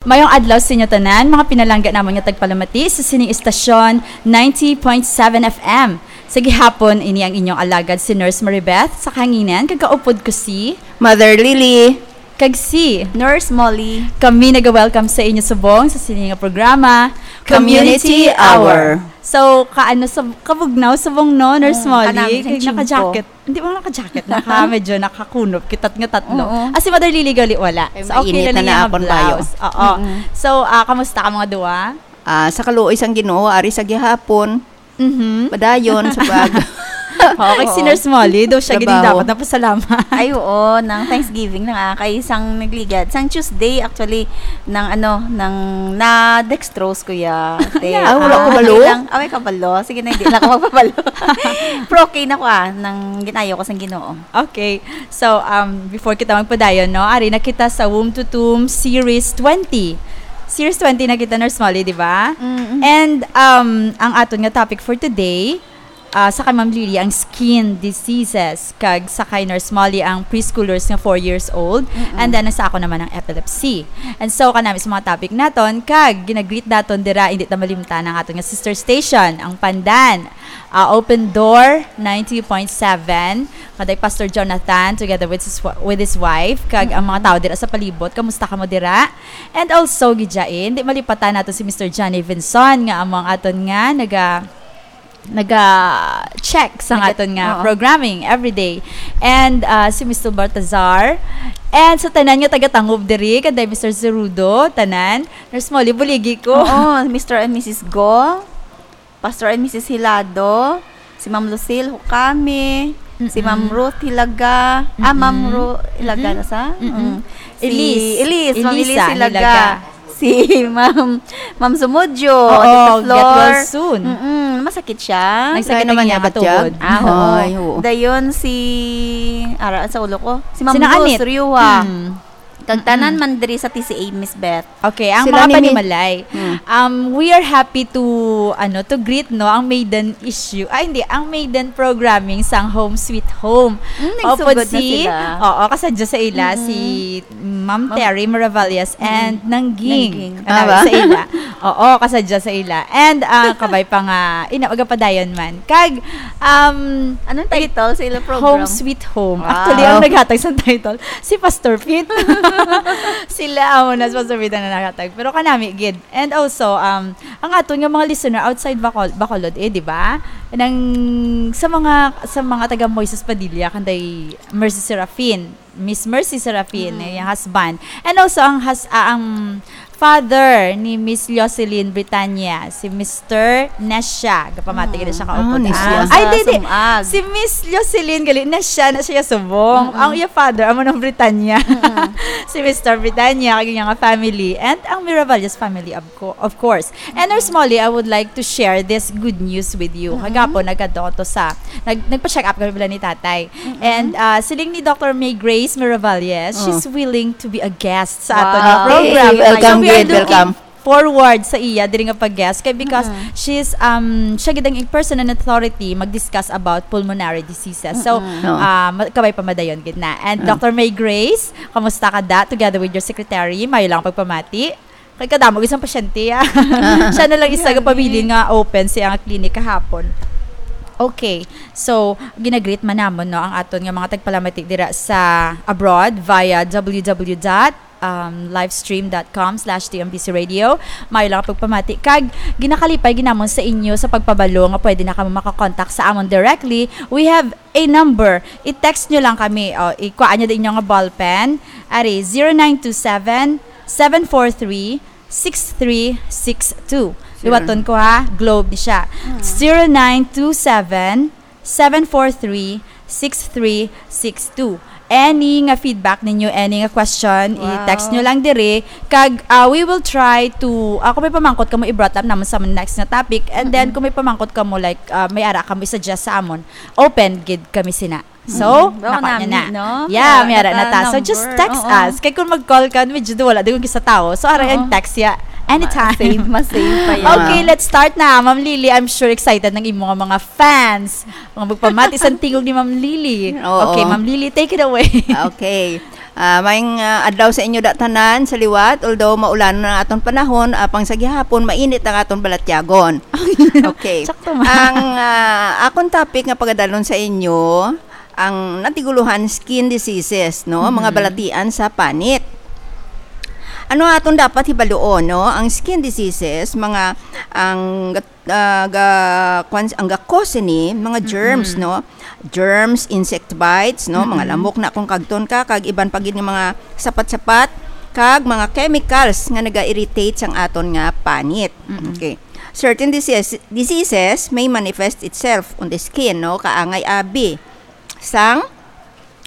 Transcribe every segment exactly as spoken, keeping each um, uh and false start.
Mayong adlaw sa inyo tanan, mga pinalangga namon nga tagpalamati sa sining istasyon, ninety point seven F M. Sa gihapon, ini ang inyong alagad, si Nurse Maribeth, sa kahanginan, kag kaupod ko si Mother Lily. Kag si Nurse Molly. Kami naga-welcome sa inyo subong sa sini nga programa, Community Community Hour. Hour. So, kaano sa kabugnaw subong, no, Nurse Mm, Molly? kanami sang Kay chimpo. naka-jacket. Hindi mo naka-jacket, naka, medyo nakakunop kita nga tatlo. Oo. Ah, si Mother Lily gali wala. Ay, So, okay mainit na na lang na niya nga akon bayo. blouse. Oo. Mm-mm. So, ah, kamusta ka mga duwa? Ah, sa kaluoy sang Ginoo, ari sa gihapon, Mhm. padayon sa pag- Oo, kay si Oo. Nurse Molly, daw siya gid ang Trabaho. dapat napasalamat. Ay, oo, nang Thanksgiving na nga, kay sang nagligad. Sang Tuesday, actually, nang ano, nang na-dextrose ko ya. Te, Yeah. Ah, wala ko ah, balo? lang, away ka balo? Sige na, hindi na ako magpabalo. Pero okay na ko, ah, nang ginayo ko sang Ginoo. Okay. So, um, before kita magpadayon, no, ari na kita sa Womb to Tomb Series twenty. Series twenty na kita, Nurse Molly, di ba? Mm-mm. And, um, ang aton nga topic for today, ah, sa kay Ma'am Lily, ang skin diseases, kag sa kay Nurse Molly, ang preschoolers nga four years old, Mm-mm. and then sa ako naman ang epilepsy. And so, kanami sa mga topic naton, kag ginagreet naton dira, hindi ta malimtan ang aton nga sister station, ang Pandan. Ah, Open Door ninety point seven, kaday Pastor Jonathan together with his, wa- with his wife, kag ang mga Mm-mm. tao dira sa palibot, kamusta kamo dira? And also, gidyain, di malipatan nato si Mister Johnny Vinson, nga amo ang aton nga naga naga-check sa Naga- aton nga oo. programming every day. And, ah, si Mister Baltazar, and sa tanan nga taga-Tangub diri, kaday Mister Zerudo, tanan, Nurse Molly, buligi ko. Oo, Mister and Missus Go, Pastor and Missus Hilado, si Ma'am Lucille Hukami, si Ma'am Mm-mm. Ruth Hilaga, ah, Ma'am Mm-mm. Ru-, Hilaga Mm-mm. na sa? Mm-mm. Mm. Si Elise. Elise, Ma'am Elisa Elise Hilaga. Hilaga. Si Ma'am, Ma'am Sumudyo, Oo, Tita get Flor. well soon. Mm-mm, masakit siya. Nagsakit Kaya naman ang niya iyang batyan? tuhod. Ah, oo. Ay, oo. Dayon si, ara, sa ulo ko. Si Ma'am Sina Luz Anit? Riuha. Hmm. Kag tanan Mm-mm. man diri sa T C A, Miss Beth. Okay, ang Sila mga ni Mi- panimalay. Hmm. Um, we are happy to, ano, to greet, no, ang maiden issue. Ay, hindi, ang maiden programming sang Home Sweet Home. Mm, Opo, nagsugod na si, sila. oo, kasadya sa ila, Mm-mm. si Ma'am Ma'am Terry Miravalles Mm-mm. and Nangging. Nangging. Ano, Ah, ba? sa ila. Oo, kasadya sa ila. And, ah, kabay pa nga, ina, magapadayon man. Kag, um, Anong title sa ila program? Home Sweet Home. Wow. Actually, ang naghatag sa title, si Pastor Pete. Sila, amo na, si Pastor Pete ang naghatag. Pero kanami, gid. And also, um, ang aton nga mga listener outside Bacol-, Bacolod, eh, di ba? Nang, sa mga, sa mga taga Moises Padilla, kanday Mercy Serafin, Miss Mercy Serafin, Mm. yung husband. And also, ang hus-, ah, ang father ni Miss Jocelyn Britania, si Mister Nesha. Gapamati gid siya ka Ah, upod. Nesha. Ah, ay, Sa di, di. Sumag. Si Miss Jocelyn, gali, Nesha na siya subong. Mm-mm. Ang iya father, amo ng Britania. Mm-mm. Si Mister Britania, kag iya nga family. And ang Miravalles family, of co-, of course. And Nurse Molly, I would like to share this good news with you. Mm-mm. Kagapon, nagkadto ko sa, nag-, nagpa-check up kami pala ni tatay. Mm-mm. And, ah, siling ni Doctor May Grace Miravalles, Oh. she's willing to be a guest sa aton nga Wow. program. Hey, welcome, So, we are gid, looking welcome. forward sa iya diri nga pag-guest kay because Mm-mm. she's, um, siya gid ang person in authority mag-discuss about pulmonary diseases. So, Mm-mm. Oh. ah, ma-, kabay pa madayon gid na. And Mm. Doctor May Grace, kamusta ka da? Together with your secretary, mayo lang pagpamati. Kay kadamo gid sang pasyente, ah. Siya na lang isa Grabe. Gapabilin nga open siya nga clinic kahapon. Okay. So, ginagreet man namon, no, ang aton nga mga tagpalamati dira sa abroad via W W W dot, um, livestream dot com slash T M B C radio. Mayo lang pagpamati. Kag ginakalipay gid namon sa inyo sa pagpabalo nga pwede na kamo makakontak sa amon directly. We have a number. I-text nyo lang kami. O, ikuha nyo din inyong ballpen. Ari, zero nine two seven, seven four three, six three six two. Sure. Liwaton ko ha, Globe ni siya. Mm. Zero nine two seven, seven four three, six three six two. Any nga feedback ninyo, any nga question, Wow. i-text nyo lang diri. Kag, ah, we will try to, ah, kung may pamangkot kamo, i-brought up naman sa next nga topic. And then, Mm-mm. kung may pamangkot kamo, like, ah, may ara kamo i-suggest sa amon, open gid kami sina. So, Mm. Baka nakuha nyo nami, na. no? Yeah, may ara na ta. So, just text Oo. us. Kay kung mag-call ka, medyo wala din kung kisa tao. So, ara Oo. yung text ya. Anytime. Ma-save, ma-save pa yan. Okay, let's start na. Ma'am Lily, I'm sure excited ng imo nga mga fans. Mga magpamati sa tingog ni Ma'am Lily. Oo. Okay, Ma'am Lily, take it away. Okay. Ah, maayong, ah, adlaw sa inyo da tanan sa liwat, although maulan na aton panahon, apang sa gihapon mainit ang aton balatyagon. Okay. Sakto man. Ang, ah, akon topic nga pagadalon sa inyo, ang natigulohan, skin diseases, no? Mga Mhm. balatian sa panit. Ano aton dapat hibaluon, no? Ang skin diseases, mga, ang gat-, ah, ga-, kwan, ang ga-cause ini, mga germs, Mm-mm. no? Germs, insect bites, no? Mga Mm-mm. lamok na kung kagton ka, kag iban pa gid nga mga sapat-sapat, kag mga chemicals nga naga-irritate sang aton nga panit. Mm-mm. Okay. Certain diseases, diseases may manifest itself on the skin, no? Kaangay abi sang,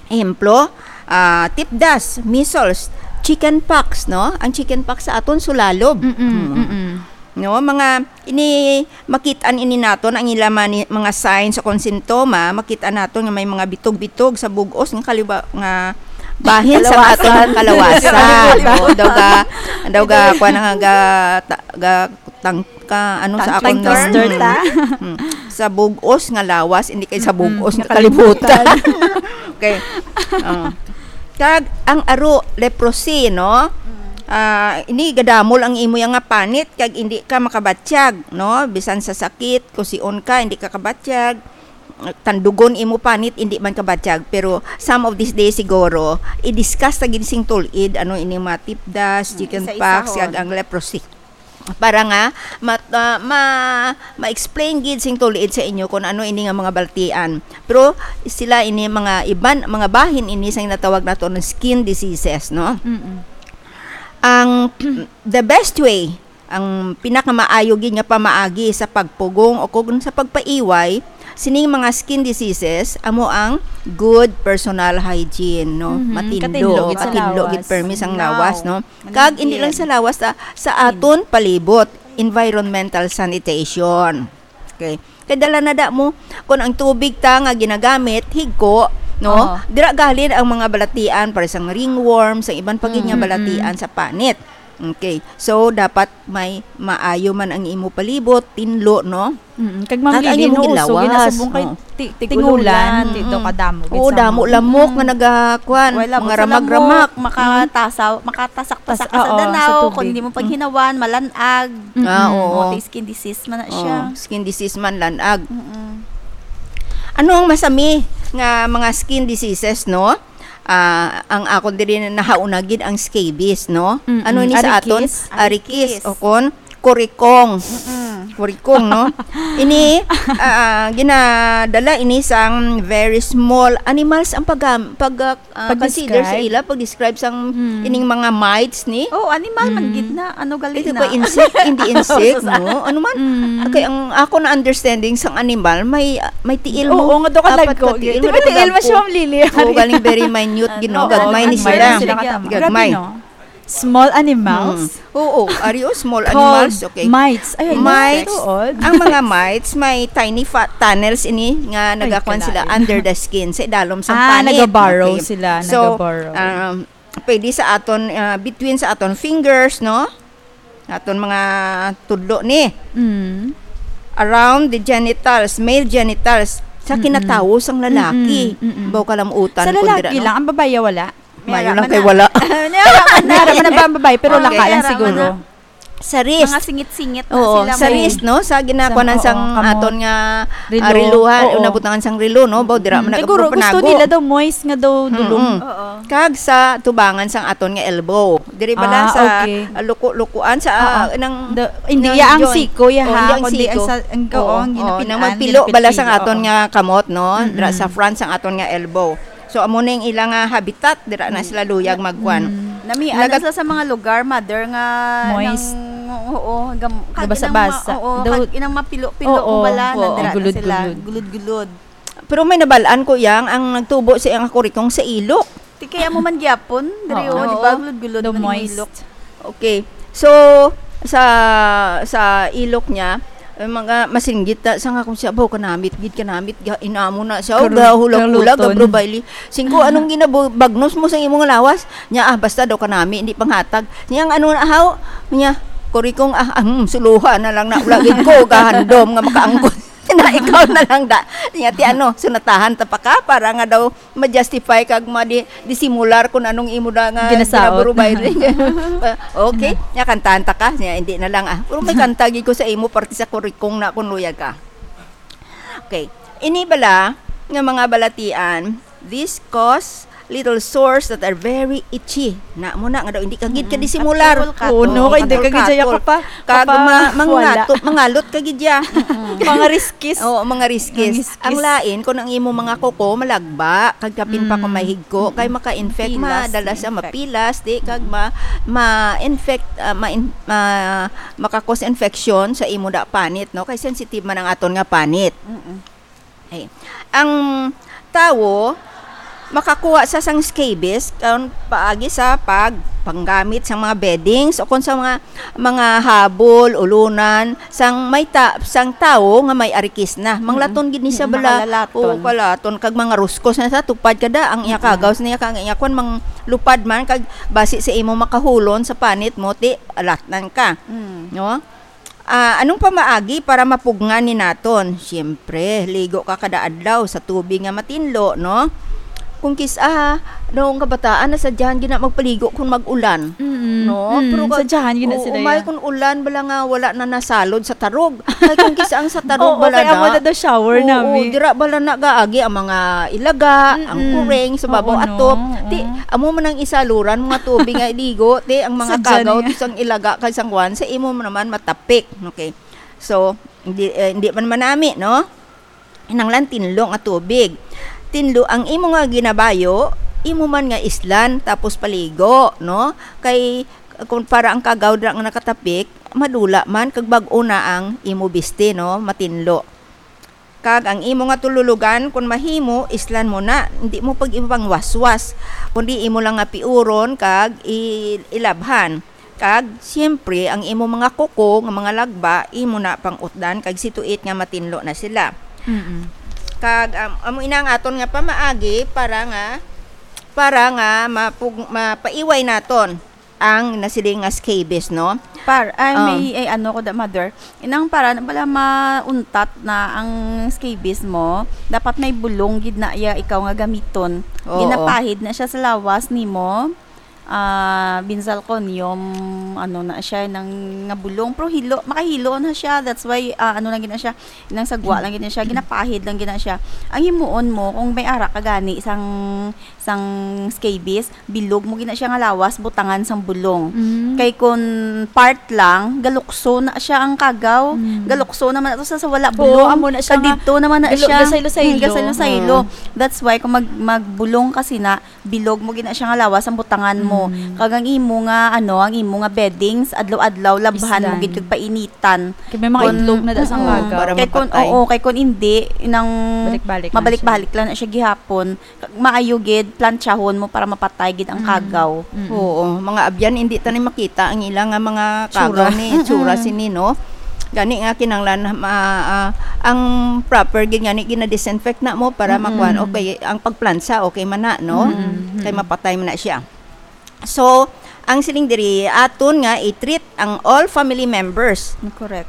ehemplo, ah, tipdas, measles, chicken pox, no? Ang chicken pox sa aton sulalob. Mm-mm, Mm. mm-mm. No, mga ini, makit-an ini naton ang ila mani-, mga signs o kon sintoma, makit-an naton nga may mga bitog-bitog sa bug-os nga kaliwa-, nga bahin sa Kalawasan. aton kalawasan. No, daw ga, daw ga, kuwan nga ga, ta-, ga, tang-, ka, ano sa Tongue akon, twister, mm, ta? mm, sa bug-os nga lawas, hindi kay sa Mm-mm. bug-os nga Nga kalibutan. kalibutan. Okay. Oh. Kag ang aro, leprosy, no? Mm. Ah, ini gadamol ang imo yang nga panit kag hindi ka makabatyag, no? Bisan sa sakit, kusion ka, hindi ka kabatyag. Tandugon imo panit, hindi man kabatyag. Pero some of these days siguro, i-discuss ta gid sing tulid, ano ini mga tipdas, Mm, chicken isa-isahon. pox, kag ang leprosy. Para nga mat-, ah, ma-, ma-explain gid sing tulid sa inyo kung ano ini nga mga balatian. Pero sila ini mga iban, mga bahin ini sa ginatawag nato nga skin diseases, no? Mm-mm. Ang the best way, ang pinakamaayo gid nga pamaagi sa pagpugong o kung sa pagpaiway sining mga skin diseases amo ang good personal hygiene, no? Mhm, Matinlo, katinlo gid sa katinlo gid lawas. permi sang Tinlaw. lawas, no? Kag hindi lang Maligid. sa lawas, sa, sa aton palibot, environmental sanitation. Okay. Kay dala na da mo, kung ang tubig ta nga ginagamit, higko, no? Oo. Dira galing ang mga balatian, para sang ringworm, sa iban pa gid nga Mm. balatian Mm-mm. sa panit. Okay. So, dapat may maayo man ang imo palibot, tinlo, no? Mm-mm. Kag, Kag ang Ma'am Lily, imong no, uso, ilawas, gina-, subong kay oo. ti-, Tig-ulan, tingulan, ti-, daw Mm. kadamo gid Oo, sa damo mga lamok nga Mm. nagakuan, Wala, mga sa ramak-ramak. lamok, makatasa-, makatasak-tasak Tas-, ka sa oo, sa danaw, tubig. kung hindi mo Mm. paghinawan, malanag. Mm-mm. Ah, oo. Mo, skin disease man na siya. Oh, skin disease man, lanag. Mm-mm. Ano ang masami nga mga skin diseases, no? Ah, ang akon diri na nahauna gid ang scabies, no? Mm-mm. Ano ni sa aton? Arikis. Arikis, Arikis. o kon kurikong. Mm-mm. Kurikong, no? Ini, ah, ginadala ini sang very small animals ang pag-, pag-, ah, ah, consider sa Pag-describe? ila, pag-describe sang Hmm. ining mga mites ni. Oh, animal man Hmm. gid na. Ano gali Ito na? pa, insect, hindi insect, Sa- no? Ano man? Hmm. Okay, ang ako na understanding sang animal, may, may tiil mo. Oo, nga daw ka Apat lagko. ka tiil Di mo ba daw tiil mo lagko. siya, Ma'am Lily? Oo, galing very minute, Ano? gid, no? Oo, Gagmay ni gagmay sila. sila katamo. Gagmay. Grabe, no? Small animals? Hmm. Oo, ari, oh, small Called animals, okay. mites. Ay, Mites. Tuod. Ang mga mites, may tiny fat tunnels ini nga Ay, nagakuan sila kalain. under the skin, sa idalom sa Ah, panit. nagaburrow Okay. sila, So, nagaburrow. um, pwede sa aton, ah, between sa aton fingers, no? Aton mga tudlo ni. Mm. Around the genitals, male genitals, sa Mm-mm. kinatawo sang lalaki. Mm-mm, mm-mm. Baw kalamutan Sa ko dira, lalaki no? lang, ang babaye wala? Mayo Meron lang man kay na. wala. Meron man na. Meron man na ba ang babae, pero Okay. laka lang Meron man siguro. na. Sa wrist. Mga singit-singit na Oo, sila sa mo. wrist, no? Sa ginakuanan Sa, sang oo, kamot. aton nga, ah, Relo. riluhan, Oo. nabutangan sang relo, no? Baw, dira Mm. man Siguro gusto nagpapanago. nila daw moist nga daw dulom. Mm-mm. Oo. Kag sa tubangan sang aton nga elbow. Diri bala Ah, sa, okay. ah, luko-lukuan sa, Oo. ah, nang, The, hindi, nang ya ang joint. siko, ya Oh, ha? hindi ang Kundi siko. ang sa, ang, Oo, oo, ang oo, ginapin-an, nang magpilo bala sang ginapin-pilo, aton oo. nga kamot, no? Dira sa Mm-mm. front sang aton nga elbow. So, amo na yung ilang, ah, habitat, dira na sila luyag magkuan. Mm. Nami, Nagat- ano sa, sa mga lugar, mother, nga Moist. nang, oo, gam-, kag Gabasa-basa. inang ma-, oo, Daw-, kag inang mapilo-pilo Oo, kung bala, oo. nandira na sila. Gulod-gulod. Gulod-gulod. Pero may nabalaan ko yang ang nagtubo sa iyang kurikong sa ilok. Ti kaya mo man gyapon, diri, Oo. oh, di ba? Oo. Gulod-gulod Daw man yung moist. ilok. Okay. So, sa, sa ilok niya, eh, mga masinggit na, sa nga kung siya, "Baw, kanamit gid, kanamit, ga-, inamo na siya, oh, Karu-, gahulag-hulag, kaluton. Gabro Bailey." Singko, "Anong ginabagnos mo sa imong lawas?" Niya, "Ah, basta daw kanami, hindi panghatag." Niya, "Ang ano na, haw?" Niya, "Kurikong, ah, ang suluha na lang na, wala gid ko, gahandom nga makaangkon." Na ikaw na lang da. Niya, ti ano, sunatahan ta pa ka para nga daw ma-justify kag ma-, di-, disimular kung anong imo na nga Ginasaot. ginaburubay. Okay, niya, kantahan ta ka. Niya, hindi na lang, ah. Pero may kanta gid ko sa imo, parte sa kurikong na kung luyag ka. Okay. Ini bala nga mga balatian, this cause little sores that are very itchy. Na mo na nga daw, hindi ka gid ka Mm. disimular. Katol, katol. Oh, no, kay hindi ka gid siya Katol. kapa-, Kag kapa-, ma-, wala. mangato-, mangalot ka gid ya. Mga riskis. Oo, mga riskis. Mga riskis. Ang lain, kung ang imo mga kuko, malagba, kag kapin pa kung Mm. mahigko, kay maka-infect, Pilas, madala siya, ma-infect. mapilas, di, kag ma-, ma-infect, ah, ma-in-, ma-, maka-cause infection sa imo da panit, no? Kay sensitive man ang aton nga panit. Mm-mm. Ay. Ang tawo, makakuha sa sang scabies, karon paagi sa pagpanggamit sang mga beddings o kung sa mga, mga habol, ulunan, sang may ta-, sang tawo nga may arikis na. Manglaton gid ni siya Mm, bala. Makalalaton. Oo, kalaton. Kag mga ruskos na sa tupad kada, ang iya Mm. kagaw sa niya, kag ang iya kwan, manglupad man, kag basi sa imo makahulon sa panit mo, ti, alatnan ka. Mm. No? Ah, anong pamaagi para mapugngan ni naton? Siyempre, ligo ka kada adlaw sa tubig nga matinlo, no? Kung kis-, ah, noong kabataan, nasadyahan gina magpaligo kung mag-ulan. Mm-mm. No? Mm, Pero kag-, sadyahan gina oo, sila umay ya. kung ulan, bala nga wala na nasalod sa tarog. Kay kung kis-, ang sa tarog, Oo, bala kay amo na. na daw shower Oo, nami. dira bala na gaagi ang mga ilaga, ang Mm-mm. kuring sa babaw Oo, no. atop. Ti, Oo. amo man ang isaluran, mga tubig nga iligo, ti, ang mga Sadya kagaw, niya. ti, sang ilaga, kag sang kwan, sa imo man naman matapik. Okay. So, hindi, eh, hindi man manami, no? Kinahanglan tinlo nga tubig. Tinlo ang imo nga ginabayo, imo man nga islan, tapos paligo, no? Kay, kung para ang kagaw dira nga nakatapik, madula man, kag bag-o na ang imo bisti, no? Matinlo. Kag ang imo nga tululugan, kung mahimo, islan mo na. Hindi mo pag ipangwaswas, kundi imo lang nga piuron kag i-, ilabhan. Kag, siyempre, ang imo mga kuko nga mga lagba, imo na pang-utdan, kag situit nga matinlo na sila. Mm-mm. Kag, am-, amo ina ang aton nga pamaagi para nga, para nga mapug-, mapaiway naton ang nasiling nga scabies, no? Par, ay, Ah. may, ay, ano ko da, mother. Inang para na bala mauntat na ang scabies mo, dapat may bulong gid na iya ikaw nga gamiton. Oo. Ginapahid na siya sa lawas nimo. Ah, benzalconium, ano na siya, nang nga bulong. Pero hilo, makahilo na siya. That's why, ah, ano lang gid na siya, nang sagwa lang gid na siya, ginapahid lang gid na siya. Ang himuon mo, kung may ara ka gani, sang, sang scabies, bilog mo gid na siya nga lawas, butangan sang bulong. Mm. Kay kun part lang, galukso na siya ang kagaw. Mm. Galukso naman ato sa, sa wala Oo, bulong. amo na siya Kag nga didto naman na galo-, siya. gasaylo-saylo. Mm, gasaylo-saylo. Oo. That's why, kung mag-, magbulong kasi na, bilog mo gid na siya nga lawas ang butangan mo. Mm. Kag ang imo nga, ano, ang imo nga beddings, adlaw-adlaw, labhan mo Isdan. gid kag painitan. Kay may mga Kun, itlog na da sa mm, kagaw. Para kay kun, mapatay. oo, kay kun hindi, nang Balik-balik lang mabalik-balik siya. lang na siya gihapon. Kag maayo gid, plantsahon mo para mapatay gid ang Mm. kagaw. Mm. Oo, mga abyan, hindi ta ni makita ang ila nga mga Tsura. kagaw ni, tsura Mm-mm. sini, no? Gani nga kinahanglan ma-, ah, ang proper gid gani gina-disinfect na mo para Mm-mm. makuan. Okay, ang pagplansa, okay man na, no? Mm-mm. Kay mapatay man na siya. So, ang siling diri, aton nga i-treat ang all family members Correct.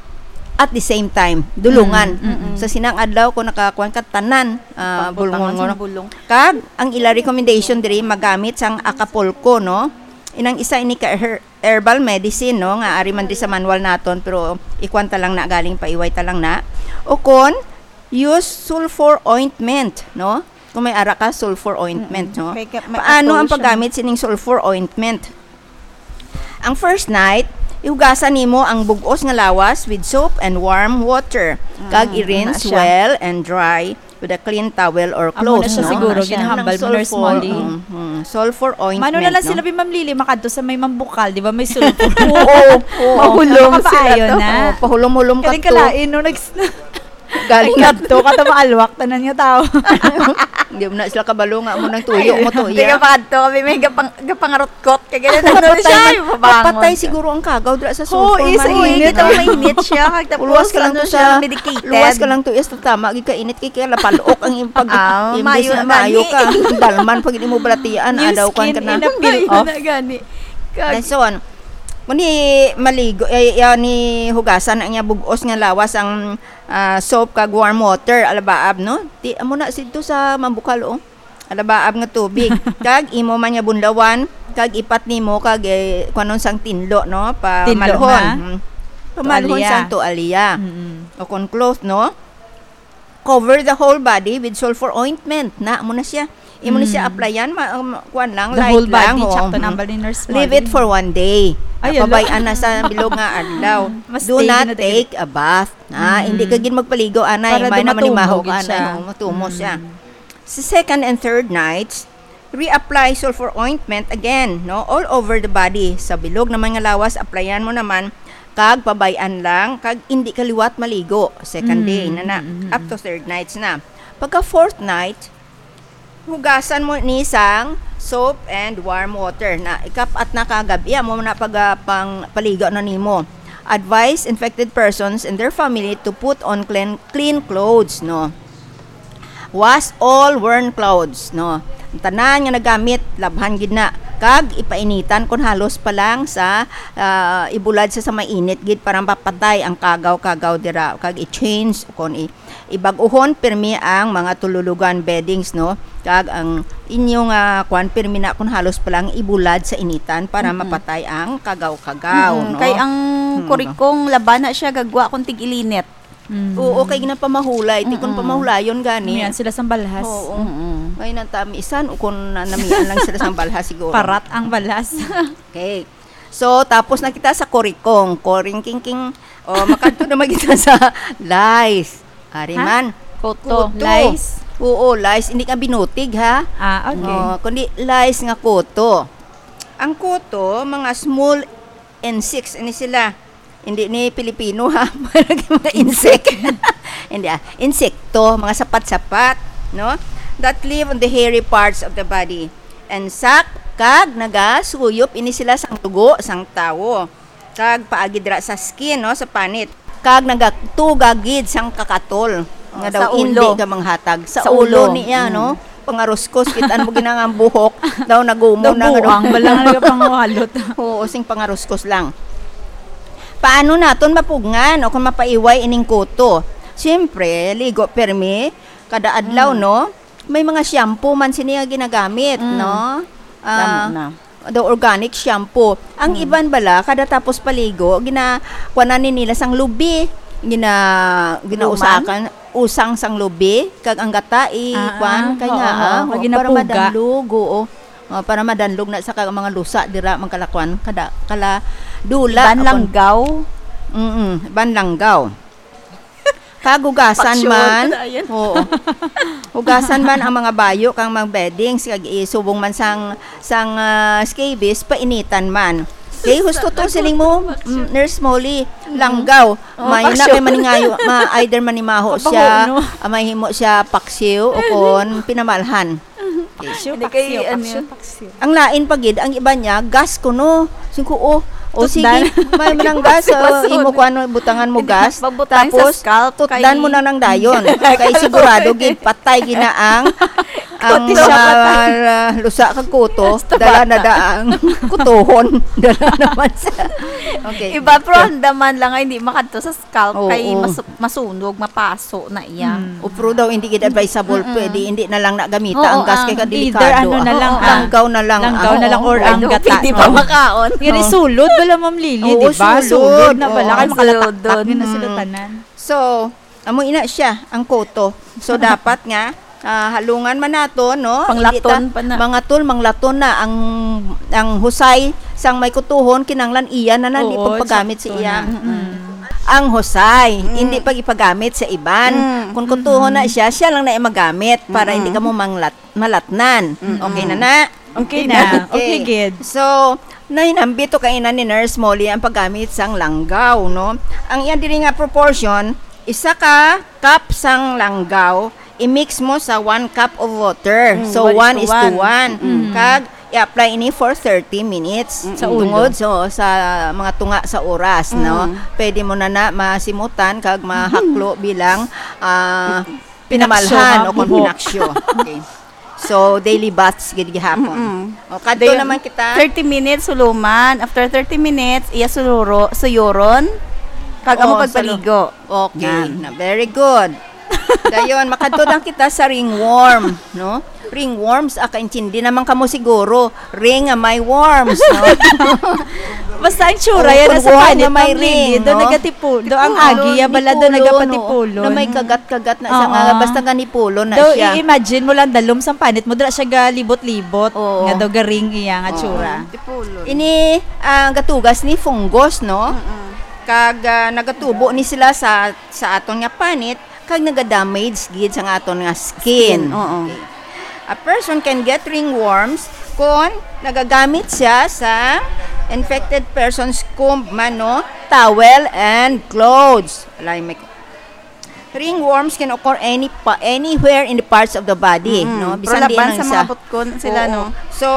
at the same time, dulungan. Mm, mm, mm. Sa sinang adlaw ko nakakuan ka tanan, ah, Pagbutangan bulungon sa mo. bulong. Kag ang ila recommendation diri magamit sang Acapulco, no? Inang isa ini ka her-, herbal medicine, no, nga ari man diri sa manual naton, pero ikuan ta lang na galing, paiway ta lang na. O kon, use sulfur ointment, no? Kung may ara ka, sulfur ointment, Mm-mm. no? Kay ka-, may Paano ang ato siya. paggamit sining sulfur ointment? Ang first night, ihugasan nimo ang bug-os nga lawas with soap and warm water. Kag Mm, i-rinse ano siya? well and dry with a clean towel or Amo na clothes, siya no? siguro, Ano siya? ginahambal Ng mo, Nurse sulfur, Molly. mm, mm. Sulfur ointment, Mano na lang no? sila, Bi, Ma'am Lily, makadto sa may mambukal, di ba, may sulfur? Oo, oo. Mahulom Makapaayo sila to. na. Oo, pahulom-hulom ka Galing to. kalain, no? Nags-, Galing Ay, kadto, kata maalwak, tanan nga tao. Hindi mo na sila kabalo nga mo nang tuyo mo to, Hindi iya. ka makadto, kami may gapang-, gapangarutkot. Kaya ganun, ano Patay siya, man, ay, mabangon patay ka. siguro ang kagaw dira sa Oo, sulfur is man. init. Kita mo, mainit siya. Kag tapos, Luwas ka lang ano to siya, sa, medicated. luwas ka lang to, is tama, gid ka init, kay kaya lapalok ang iyong pag-, Ah, imbes maayo na na maayo gani. ka. Dalman pag imo balatian, New adaw kan skin ka na. in a peel Maayo off. na gani. Kag- Dason, Muni maligo, eh, ya ni hugasan ang iya bug-os nga lawas ang, ah, soap kag warm water, alabaab, no? Ti, amo na sidto sa Mambukal, oh. Alabaab nga tubig. Kag imo man nga bunlawan, kag ipat nimo, kag, eh, kuanon sang tinlo, no? Tinlo Pamalhon. na? Mm. Pamalhon Tuwalya. sang tuwalya. Mm-mm. O kon cloth, no? Cover the whole body with sulfur ointment. Na, amo na siya. Imo na siya Mm. applyan, ma-, um, kuwan lang, The light whole lang, body, oo. tsakto na ang Mm. bali, nurse Leave it Molly. for one day. Ay, ala. Napabayaan na sa bilog nga adlaw. Mas Do stay not na dali. take a bath. Ah, Mm. hindi ka gid magpaligo, anay. Para May do naman ni matumo mahog, gid anay. siya. Oo, matumo Mm. siya. Sa second and third nights, reapply sulfur ointment again, no? All over the body. Sa bilog naman nga lawas, applyan mo naman, kag pabay-an lang, kag hindi ka liwat maligo. Second Mm, day na na, mm, mm, up to mm. third nights na. Pagka fourth night, hugasan mo ni sang soap and warm water. Na, ikapat na ka gab-i, amo na pag, ah, pang paligo na nimo. Advise infected persons and their family to put on clean, clean clothes, no? Wash all worn clothes, no? Ang tanan nga nagamit, labhan gid na. Kag ipainitan kon halos pa lang sa, ah, ibulad sa, sa mainit gid para mapatay ang kagaw-kagaw dira. Kag i-change kon i-, ibag-uhon pirmi ang mga tululugan, beddings, no? Kag ang inyo nga kwan, pirmi na kon halos pa lang ibulad sa initan para Mm-mm. mapatay ang kagaw-kagaw, Mm-mm. no? Kay ang Hmm. kurikong laban na siya gagwa kung tig-ilinit. Mm. Oo, kay ginapamahulay. Ti kun Mm-mm. pamahulayon gani. Umian sila sang balhas. Oo. Mm-mm. May nantamisan o kun na-, namian lang sila sang balhas siguro. Parat ang balhas. Okay. So, tapos na kita sa korikong. Koring kingking. O, makadto naman kita sa lice. Ari Ha? man. Kuto. Kuto. Lice? Oo, lice. Hindi ka binutig, ha? Ah, okay. O, kundi lice nga kuto. Ang kuto, mga small insects, ini sila. Hindi ni Pilipino, ha? Mga insect. Insect. Hindi, ah. Insekto, mga sapat-sapat, no? That live on the hairy parts of the body. And sack, kag nagasuyop ini sila sang dugo sang tawo. Kag paagi dira sa skin, no, sa panit. Kag nagatuga gid sang kakatol. Oh, nga daw sa hindi ulo. ka manghatag. Sa Sa ulo ulo. niya, no? Mm. Pangaruskos, kitaan mo ginang ang buhok. Daw nagumo na nga daw. Nabuang, bala nga nagapangwalot. Oo, sing pangaruskos lang. Paano naton mapugngan o kung mapaiway ining kuto? Siyempre, ligo permi, kada adlaw, Mm. no? May mga shampoo man sini nga ginagamit, Mm. no? Ah, Tama na. the organic shampoo. Ang Mm. iban bala, kada tapos paligo, gina-, kuwanan ni nila sang lubi. Gina-, ginausakan, usang sang lubi, kag ang gata, i-, Ah, kuwan, ah, kay oo, nga, oo, ah, pag para ginapuga. madanlog, oo. Ah, para madanlog na sa kag mga lusa, dira, magkalakuan, kada, kala dula, Iban akon. langgaw. Mm-mm, iban langgaw. Kag hugasan Paksyon. man. Ayan. Oo. Hugasan man ang mga bayo kang mga beddings, kag isubong man sang, sang, ah, scabies, painitan man. Kay husto to, Nagkuto siling mo, paksyon. mm, Nurse Molly, Mm. langgaw. Oh, May na paksyon. kay maningayo, ma-, either manimaho Kabaho, siya, no? ah, mahimo siya paksiw o kon pinamalhan. Okay. Paksiw, Hindi paksiw, kay, ano paksiw, yun? paksiw. Ang lain pa gid, ang iba niya, gas kuno. Sing ko, oh, o Tutdan. sige, may manang gas, Gas, uh, gas. imo ko ano, butangan mo Hindi, gas. pagbutang sa Tapos, scalp, tutdan kay mo na ng dayon. Kay sigurado gid, patay gina ang, ang Kuto siya, mga patay. uh, lusa kag kuto, Basta dala na bata. da ang kutohon. Dala naman sa, okay. Iba, pero ang daman lang ay hindi makadto sa scalp Oo. kay mas-, masunog, mapaso na iya. Mm. O, pero daw hindi gid advisable, Mm-mm. pwede hindi na lang na gamita Oo, ang gas kay ang kadelikado. either ano na lang, Oo, ah, langgaw na lang, langgaw ah, na lang oo. or ang Pwede, gata, pwede pa oo. makaon. Yun, Oo. isulod bala, Ma'am Lily, Oo, di ba? sulod. Sulod na bala, Oo. kay makalataktak Sulod. din na sila Mm. tanan. So, amo ina siya, ang kuto. So, dapat nga, ah, halungan man nato, no? Hindi Panglaton ta-, pa na. mga tol, manglaton na ang, ang husay sang may kutohon, kinanglan iya na na, di Oo, pagpagamit sa sakto iya. na. Mm. Ang husay, Mm. hindi pag ipagamit sa iban. Mm. Kung kutohon na Mm. siya, siya lang na magamit para hindi Mm. ka mo manglat-, malatnan. Mm. Okay na na? Okay na. Okay. Okay, gid. So, nahinambit to kaina ni Nurse Molly ang paggamit sang langgaw, no? Ang iya diri nga proportion, isa ka cup sang langgaw, i-mix mo sa one cup of water. Mm, So, one is to one is to one. one. Mm. Kag i-apply ini for thirty minutes. Mm. Sa ulo. Tungod so, sa mga tunga sa oras, no? Mm. Pwede mo na na masimutan kag mahaklo bilang, ah, Pinaksyo pinamalhan nga o kung buhok. pinaksyo. Okay. So, daily baths gid gihapon. Mm-mm. O, kadto Dayon, naman kita. Thirty minutes, huluman. After thirty minutes, iya suluro, suyuron. Kag amo Oo, pagpaligo. Okay, Nan. na, very good. Dayon, makadto lang kita sa ringworm, no? Ringworms, ah, kaintindi naman kamo siguro. Ring nga may worms, no? Basta ang tsura Oh, yan, kung nasa worm panit, nga may Ma'am Lily, ring, do no? nagatipu-, do ang Tipulo, agi, ya bala, do nipulo, no? nagapatipulo. Na may kagat-kagat na siya nga, Oo. basta nga nipulo na Do siya. i-imagine mo lang, dalom sang panit mo, dira siya galibot-libot, Oo. nga do garing iya nga Oo. tsura. Tipulo. Ini, ah, gatugas ni fungus, no? Mm-mm. Kag, ah, nagatubo ni sila sa, sa aton nga panit, kag nagadamage gid sa nga aton nga skin. Skin, oo. Okay. A person can get ringworms kung nagagamit siya sa infected person's comb man, no? Towel and clothes. Alay, may, ringworms can occur any pa, anywhere in the parts of the body, Mm. no? Pero Bisan di laban lang sa sa mga butkon sila, Oo. no? So,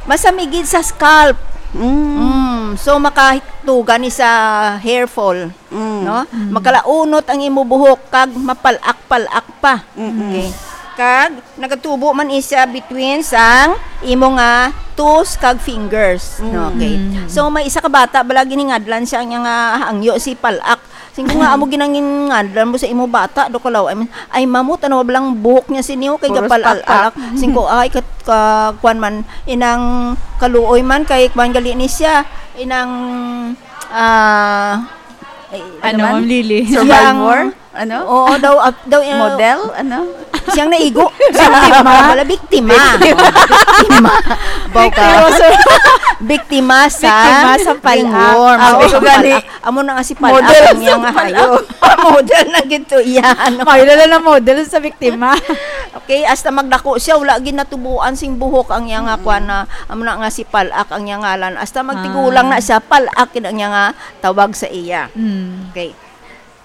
masamigid sa scalp. Mm. Mm. So, makatuga ni sa hair fall. Mm. No? Mm. Makalaunot ang imo buhok kag mapalak-palak pa. Mm-mm. Okay. Kag nagatubo man isa between sang imo nga toes kag fingers. No? Mm. Okay. Mm. So may isa ka bata bala giningadlan siya niya nga hangyo si palak. Singko nga amo ginangingadlan mo sa imo bata do kalaw. I mean, ay mamo, tanaw lang buhok niya sini, oh, kay Puros gapalak-palak. Palak. Singko ay kat-, ka, kwan man, inang kaluoy man kay kwan gali ni siya. Inang, ah, ay, Ano, ano man? Ma'am Lily? Siyang Survivor? Ano? Oo, daw, ap-, daw, eh, Model? Ano? Siyang naigo. Siyang biktima. Wala, biktima. Biktima. Biktima. Baw ka. Biktima sa Biktima sa palak. ringworm. Ah, Oo, oo. sa Gani. palak. Amo na nga si palak Model ang sa iyang palak. hayo. Model na gid to, iya, ano. May lala na model sa biktima. Okay, hasta magdako siya, wala gid natubuan sing buhok ang iya nga Mm. kwan na, amo na nga si palak ang iya ngalan. Hasta magtigulang Ah. na siya, palak gid ang iya nga tawag sa iya. Mm. Okay.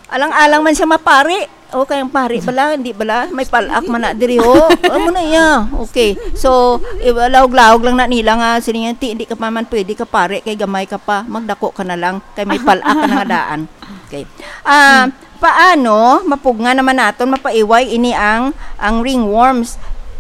Alang-alang man siya mapari. O, kay ang pari bala, hindi bala, may palak man na diri, ho. Amo na iya. Okay. So, i-, lahog-lahog lang na nila nga, sini nga, "Ti, hindi ka pa man pwede ka pari, kay gamay ka pa, magdako ka na lang, kay may palak ka na nga daan." Okay. Ah, Hmm. paano, mapugngan naman naton, mapaiway ini ang, ang ringworms?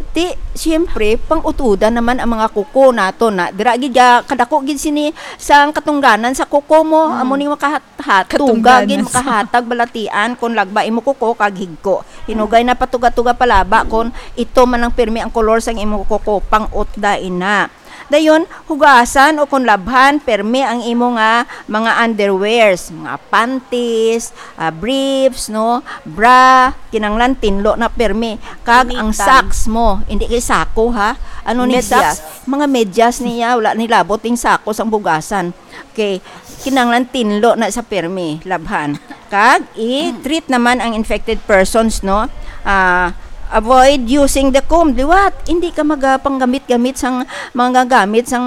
Ti, siyempre, pang-utudan naman ang mga kuko naton na. Dira gid ga-, kadako gid sini sang katungdanan sa kuko mo, Hmm. amo ning makahat-, hat-, tuga Katungdanan gid sa makahatag balatian kon lagba imo kuko kag higko. Hinugay na patuga-tuga palaba kon ito man ang pirmi ang kolor sang imo kuko, pang-utda ina. Dayon, hugasan o kon labhan permi ang imo nga mga underwears, mga panties, ah, briefs, no, bra, kinanglan tinlo na permi, kag ang Pinitan. socks mo, hindi kay sako, ha? Ano ni Medyas. socks? Mga medyas niya, wala ni labot ning sako sang bugasan. Okay, kinanglan tinlo na sa permi, labhan. Kag i-treat naman ang infected persons, no? Ah, avoid using the comb. Liwat, hindi ka magapanggamit-gamit sang mga gamit sang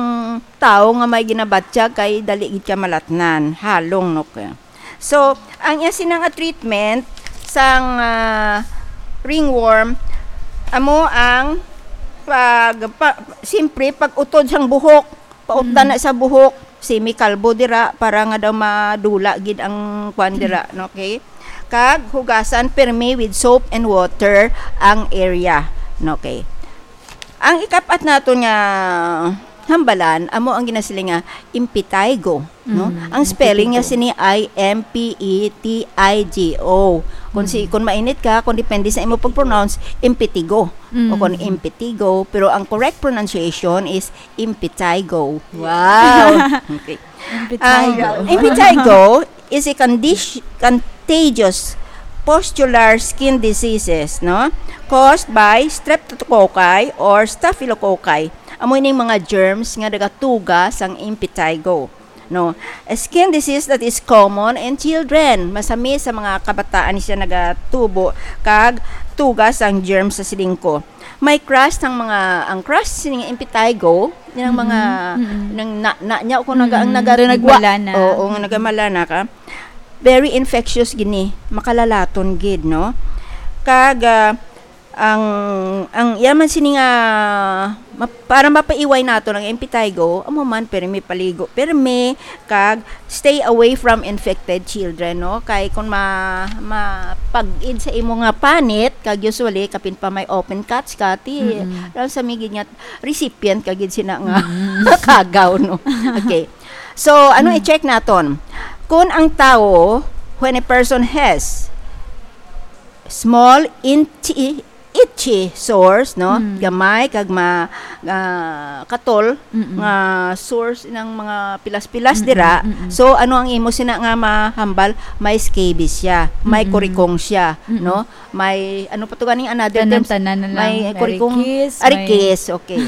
tawo nga may ginabatyag kay dali gid ka malatnan. Halong, no? Kaya. So, ang iya sini nga treatment sang, ah, ringworm, amo ang pag, pa, siyempre, pag-utod sang buhok. Pautdan Mm. na sa buhok, semi-kalbo dira para nga daw madula gid ang kwan dira, no? Okay? Kag hugasan permi with soap and water ang area, no? Okay? Ang ikapat naton nga hambalan, amo ang ginasiling nga impetigo, no? Mm, Ang spelling niya impetigo. sini ay M P E T I G O. Kung si, Mm. kung mainit ka, kung depende sa imo pag-pronounce, impetigo. O kung Mm. impetigo, pero ang correct pronunciation is impetigo. Wow. Okay. Impetigo. Ang impetigo is a condi-, contagious pustular skin diseases, no? Caused by streptococci or staphylococci. Amo ining mga germs nga nagatuga sang impetigo, no? A skin disease that is common in children. Masami sa mga kabataan siya nagatubo kag tuga sang germs sa silingko. May crush sang mga, ang crush sini nga impetigo, ilang mga Mm-mm. nang na, na niya kung naga, ang Mm, nagagwa. doon nagmalana. Oo, nga nagamalana ka. Very infectious gini, makalalaton gid, no? Kag, ah, ang, ang iya man sini nga ma-, para mapaiway nato ang impetigo, amo man, pirmi paligo, pirmi, kag stay away from infected children, no? Kay kung ma-, mapag-id sa imo nga panit, kag usually, kapin pa may open cuts ka, ti, Mm-mm. alam sa migid nga recipient ka gid sina nga Mm. kagaw, no? Okay. So, ano Mm. i-check naton? Kung ang tawo, when a person has small, inti-, itchy sores, no? Mm. Gamay kag ma-, ah, katol Mm-mm. nga sores ng mga pilas-pilas Mm-mm, dira. mm-mm. So, ano ang imo sina nga mahambal? May scabies siya, may Mm-mm. kurikong siya, Mm-mm. no? May, ano pa to ganing another terms? Tanan-tanan na lang. May May kurikong arikis, may arikis, okay.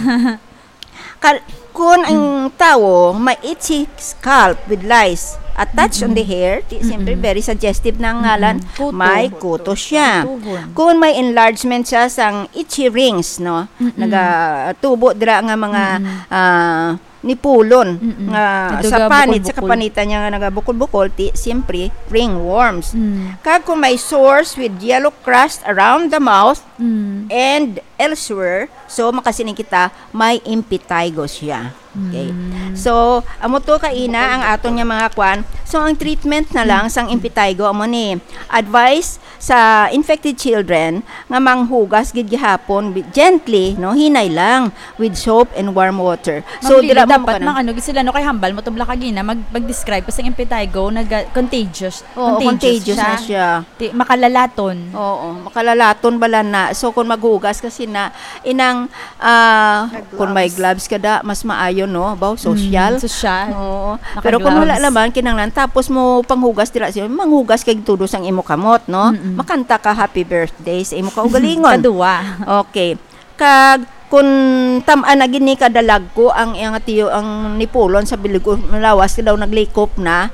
Kal-, kung ang tawo may itchy scalp with lice attached on the Mm-mm. hair, di, siyempre, Mm-mm. very suggestive na ang ngalan, Mm-mm. Kuto. may kuto siya. Kutohon. Kung may enlargement siya sang itchy rings, no? Mm-mm. Nagatubo dira nga mga, Mm-mm. ah, nipulon Mm-mm. nga Ito sa ga panit, sa bukol-bukol. kapanitan niya nga nagabukol-bukol, ti, siyempre, ringworms. Mm. Kag kung may sores with yellow crust around the mouth Mm. and elsewhere, so makasiling kita, may impetigo siya. Okay. Mm. So, amo to kaina ang aton nga mga kwan. So, ang treatment na lang Mm. sang impetigo, amo ni, advice sa infected children nga manghugas gid gihapon, bi-, gently, no, hinay lang, with soap and warm water. So, Ma'am Lily, dira mo dapat kanang mang ano gid sila, no, kay hambal mo tubla kagina, mag-, mag-describe pa sa impetigo, naga-, contagious. Oo, Contagious contagious na siya. siya. Ti-, makalalaton. Oo, makalalaton bala na. So, kung maghugas kasi na, inang, ah, Nag-gloves. kung may gloves ka da, mas maayo, no? Baw, Mm, social. social. Oo. Pero kung wala Naka-gloves. naman, kinahanglan, tapos mo panghugas dira siya, manghugas kay tudo sang imo kamot, no? Mm-mm. Makanta ka happy birthday sa imo kaugalingon. Kadua. Okay. Kag kung tam-an na gid ni kadalagko ang iyang tiyo, ang nipulon sa bilig o lawas ka daw naglikop na,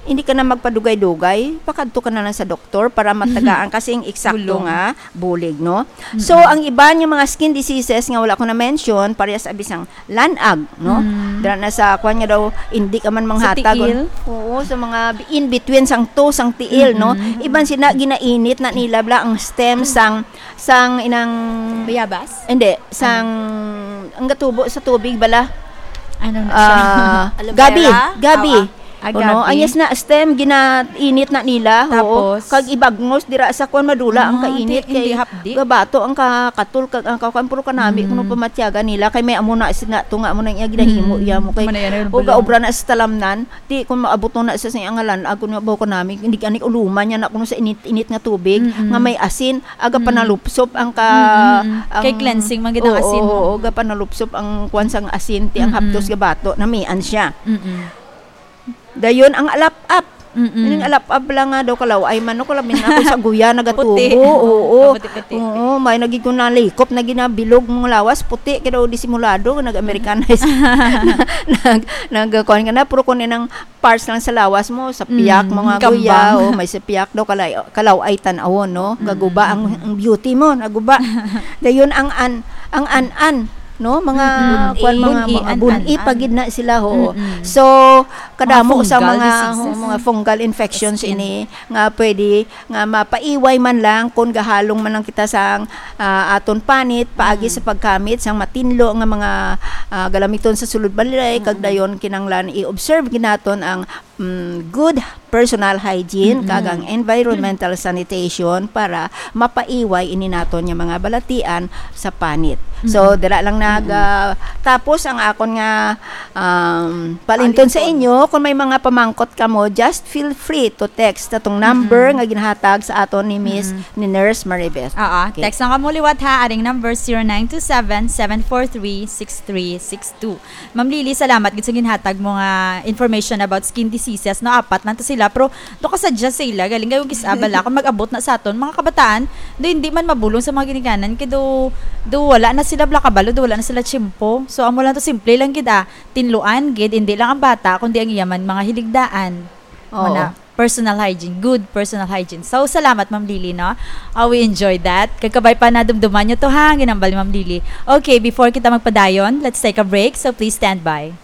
hindi ka na magpadugay-dugay, pakadto ka na lang sa doktor para matagaan kasi ang eksakto Bulong. nga bulig, no? So, Mm-mm. ang iban nga mga skin diseases nga wala ko na-mention, parehas abi sang lanag, no? Mm. Dira na sa kwan nga daw, hindi ka man Sa manghatag, tiil? Oo, sa mga in between sang to, sang tiil, no? Mm-mm. Iban sina, ginainit na nila bala ang stem sang, sang inang Bayabas? Hindi, sang, ang gatubo sa tubig bala. Ano na siya? Ah, Aloe gabi, vera? gabi. Ah, ah. Ah, Ano, gabi. Ang yes na stem, ginainit na nila. Oo. Tapos? Kag ibagnos dira sa kwan, madula ang Ah, kainit di, hindi kay hapdi. gabato ang kakatol kag ang kakwan, puro kanami Mm. kuno pamatyaga nila kay may amo na sina to nga amo na iya ginahimo Mm. iya mo kay Amo na yan, o bulong. gaobra na sa talamnan, di kung maabot na sa sing angalan, ako na ba kanami, hindi ani uluman niya na kuno sa init-init nga tubig Mm-mm. nga may asin, aga Mm. panalupsop ang ka-, Mm-mm. ang Kay cleansing man gid ang Oo, asin. oo, aga panalupsop ang kwan sang asin, ti ang Mm-mm. hapdos gabato, namian siya. Mm-mm. Dayon ang alap-ap. Mm-mm. Ining alap-ap lang nga daw kalaw-ay man, no, kalamin ako sa guya, nagatubo. Puti. Oo. Puti-puti. Oo, may nagig-, nalikop na ginabilog mong lawas, puti, kaya daw disimulado, nag-Americanize. Nag-, nag-, kuwan ka na, pero kung inang parts lang sa lawas mo, sa piyak, Mm, mga kambang. guya, o may sa piyak daw, kalay-, kalaw-ay tan-awon, no? Mm, Gaguba ang, mm, mm. ang beauty mo, naguba. Dayon ang an-, ang an-an, no? Mga, Mm, mm. kuwan, mga, Bun-i, mga an-an, bun-i an-an. pa gid na sila, ho. Mm, mm. So, kadamo Mga sa fungal mga, diseases. ho, mga fungal infections Skin. ini nga pwede nga mapaiway man lang kung gahalong man lang kita sang, ah, aton panit, paagi Mm. sa pagkamit sang matinlo nga mga, ah, galamiton sa sulod balay, kag Mm. dayon kinanglan i-observe ginaton ang, mm, good personal hygiene, Mm-mm. kag ang environmental sanitation para mapaiway ini naton nga mga balatian sa panit. So, Mm. dira lang nag, Mm-mm. ah, tapos ang akon nga, um, palinton sa Palinton. inyo, kung may mga pamangkot kamo, just feel free to text atong number Mm-mm. nga ginahatag sa aton ni Miss, Mm-mm. ni Nurse Maribeth. Oo, Okay. text lang kamo liwat ha, aring number zero nine two seven, seven four three, six three six two. Ma'am Lily, salamat gid sa ginhatag mo nga information about skin diseases, no? Apat lang to sila, pero do ka sadya sila, galing kayo gis-, ah, bala, kung mag-abot na sa aton, mga kabataan, do hindi man mabulong sa mga ginikanan, kay do, do wala na sila bala kabalo, do wala na sila tiyempo. So, amo lang to, simple lang gid, ah, tinluan gid, hindi lang ang bata, kundi ang iya man mga hiligdaan. Oo. Muna, personal hygiene, good personal hygiene. So, salamat, Ma'am Lily, no? Ah, we enjoyed that. Kagkabay pa na dumduman nyo to, ha, ang ginambal ni Ma'am Lily. Okay, before kita magpadayon, let's take a break. So, please stand by.